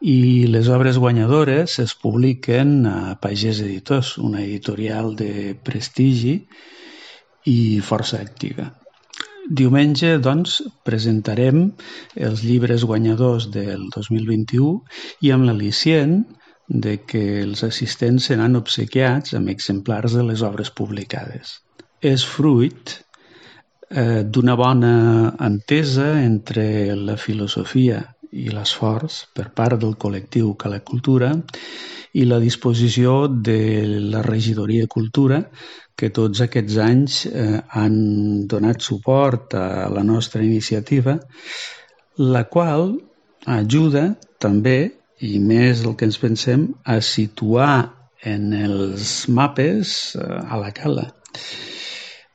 i les obres guanyadores es publiquen a Pagès Editors, una editorial de prestigi i força activa. Diumenge, doncs, presentarem els llibres guanyadors del 2021 i amb l'al·licient de que els assistents seran obsequiats amb exemplars de les obres publicades. És fruit d'una bona entesa entre la filosofia i l'esforç per part del col·lectiu Cala Cultura i la disposició de la Regidoria de Cultura, que tots aquests anys han donat suport a la nostra iniciativa, la qual ajuda també, i més del que ens pensem, a situar en els mapes a la Cala.